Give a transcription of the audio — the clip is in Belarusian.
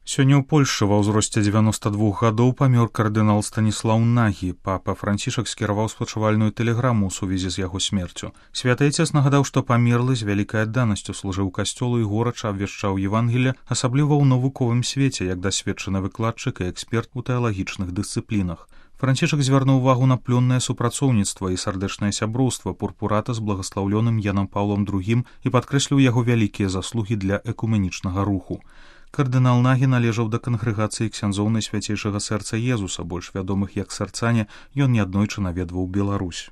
Сёння ў Польшчы ва ўзросце 92 гадоў памёр кардынал Станіслаў Нагі. Папа Францішак скіраваў спачувальную тэлеграму ў сувязі з яго смерцю. Святы Айцец нагадаў, што памерлы з вялікай адданасцю служыў касцёлу і горача абвяшчаў Евангелле, асабліва ў навуковым свеце, як дасведчаны выкладчык і эксперт у тэалагічных дысцыплінах. Францішак звярнуў увагу на плённае супрацоўніцтва і сардэчнае сяброўства пурпурата з благаслаўлёным Янам Паўлом II і падкрэсліў яго вялікія заслугі для экуменічнага руху. Кардынал Нагі належаў да кангрэгацыі ксяндзоў Найсвяцейшага сэрца Езуса, больш вядомых як сэрцане, ён неаднойчы наведваў Беларусь.